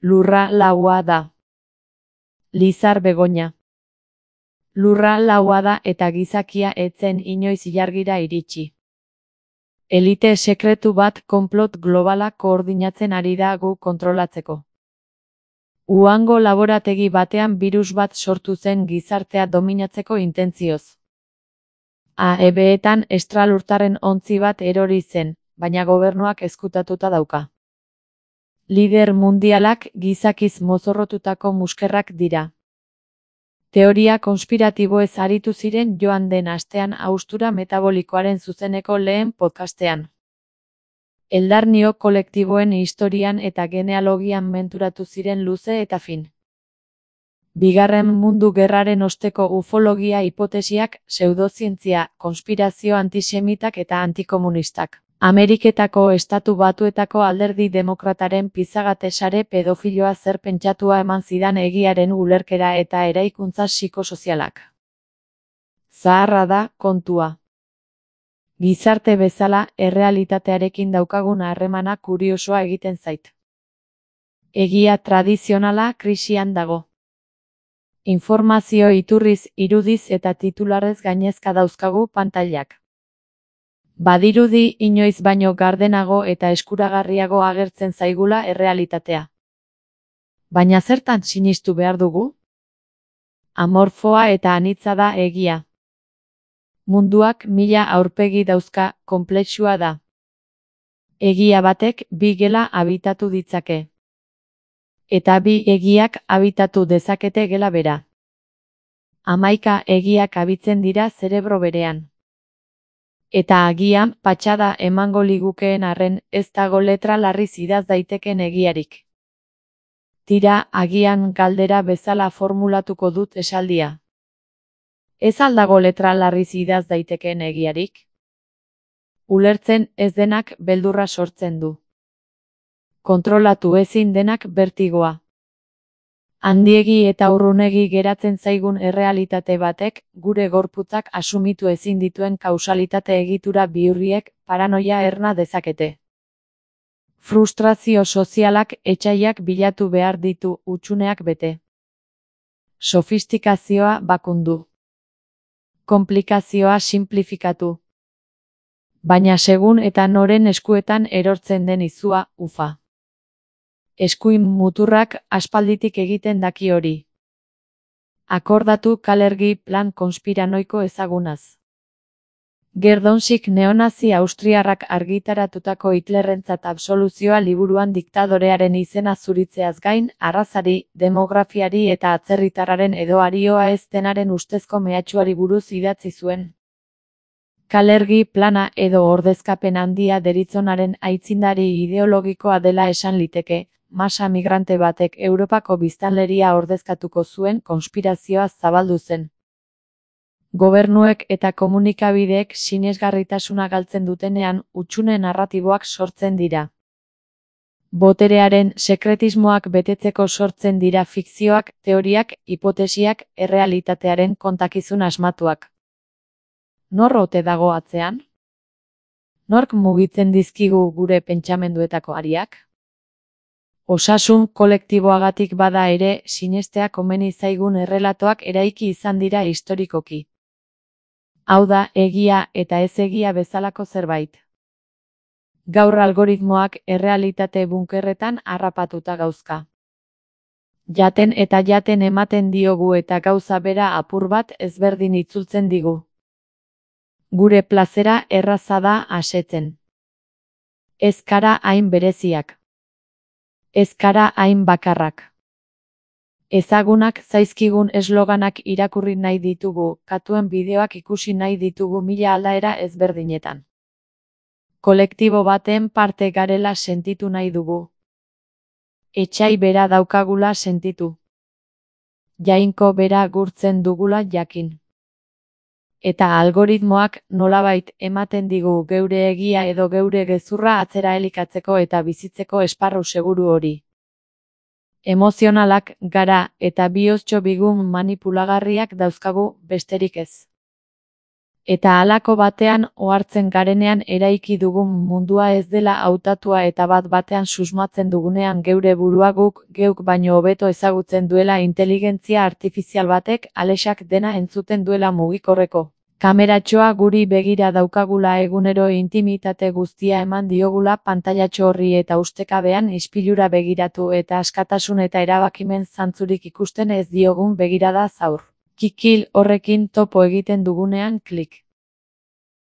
Lurra laua da. Lizar Begoña. Lurra laua da eta gizakia etzen inoiz ilargira iritsi. Elite sekretu bat konplot globala koordinatzen ari da gu kontrolatzeko. Uhango laborategi batean birus bat sortu zen gizartea dominatzeko intentzioz. AEB-etan estralurtarren ontzi bat erori zen, baina gobernuak ezkutatuta dauka. Lider mundialak gizakiz mozorrotutako muskerrak dira. Teoria konspiratiboez aritu ziren joan den astean haustura metabolikoaren zuzeneko lehen podcastean. Eldarnio kolektiboen historian eta genealogian menturatu ziren luze eta fin. Bigarren Mundu Gerraren osteko ufologia hipotesiak, pseudozientzia, konspirazio antisemitak eta antikomunistak. Ameriketako Estatu Batuetako Alderdi Demokrataren pizagate sare pedofiloa zer pentsatua eman zidan egiaren ulerkera eta eraikuntza psikosozialak. Zaharra da kontua. Gizarte bezala, errealitatearekin daukagun harremana kuriosoa egiten zait. Egia tradizionala krisian dago. Informazio iturriz, irudiz eta titularrez gainezka dauzkagu pantailak. Badirudi inoiz baino gardenago eta eskuragarriago agertzen zaigula errealitatea. Baina zertan sinistu behar dugu? Amorfoa eta anitza da egia. Munduak 1000 aurpegi dauzka, konplexua da. Egia batek bi gela habitatu ditzake. Eta bi egiak habitatu dezakete gela bera. 11 egiak habitzen dira zerebro berean. Eta agian patxada emango ligukeen arren ez dago letra larriz idaz daiteken egiarik. Tira, agian galdera bezala formulatuko dut esaldia. Ez aldago letra larriz idaz daitekeen egiarik? Ulertzen ez denak beldurra sortzen du. Kontrolatu ezin denak bertigoa. Handiegi eta urrunegi geratzen zaigun errealitate batek, gure gorputzak asumitu ezin dituen kausalitate egitura bihurriek paranoia erna dezakete. Frustrazio sozialak etsaiak bilatu behar ditu hutsuneak bete. Sofistikazioa bakundu. Konplikazioa sinplifikatu. Baina segun eta noren eskuetan erortzen den izua, ufa. Eskuin muturrak aspalditik egiten daki hori. Akordatu Kalergi plan konspiranoiko ezagunaz. Gerdonsik neonazi austriarrak argitaratutako Hitlerrentzat absoluzioa liburuan diktadorearen izena zuritzeaz gain, arrazari, demografiari eta atzerritarraren edo arioa ez denaren ustezko mehatxuari buruz idatzi zuen. Kalergi plana edo ordezkapen handia deritzonaren aitzindari ideologikoa dela esan liteke, masa migrante batek Europako biztanleria ordezkatuko zuen konspirazioa zabaldu zen. Gobernuek eta komunikabideek sinesgarritasuna galtzen dutenean hutsune narratiboak sortzen dira. Boterearen sekretismoak betetzeko sortzen dira fikzioak, teoriak, hipotesiak, errealitatearen kontakizun asmatuak. Nor ote dago atzean? Nork mugitzen dizkigu gure pentsamenduetako ariak? Osasun kolektiboagatik bada ere, sinestea komeni zaigun errelatoak eraiki izan dira historikoki. Hau da, egia eta ez egia bezalako zerbait. Gaur algoritmoak errealitate bunkerretan harrapatuta gauzka. Jaten eta jaten ematen diogu eta gauza bera apur bat ezberdin itzultzen digu. Gure plazera erraza da asetzen. Ez kara hain bereziak. Ez kara hain bakarrak. Ezagunak zaizkigun esloganak irakurri nahi ditugu, katuen bideoak ikusi nahi ditugu 1000 aldaera ezberdinetan. Kolektibo baten parte garela sentitu nahi dugu. Etsai bera daukagula sentitu. Jainko bera gurtzen dugula jakin. Eta algoritmoak nolabait ematen digu geure egia edo geure gezurra atzera elikatzeko eta bizitzeko esparru seguru hori. Emozionalak gara, eta bihoztxo bigun manipulagarriak dauzkagu besterik ez. Eta halako batean ohartzen garenean eraiki dugun mundua ez dela hautatua eta bat-batean susmatzen dugunean geure burua guk geuk baino hobeto ezagutzen duela inteligentzia artifizial batek Alexak dena entzuten duela mugikorreko kameratxoa guri begira daukagula egunero intimitate guztia eman diogula pantailatxo horri eta ustekabean ispilura begiratu eta askatasun eta erabakimen zantzurik ikusten ez diogun begirada zaur. Kikil horrekin topo egiten dugunean klik.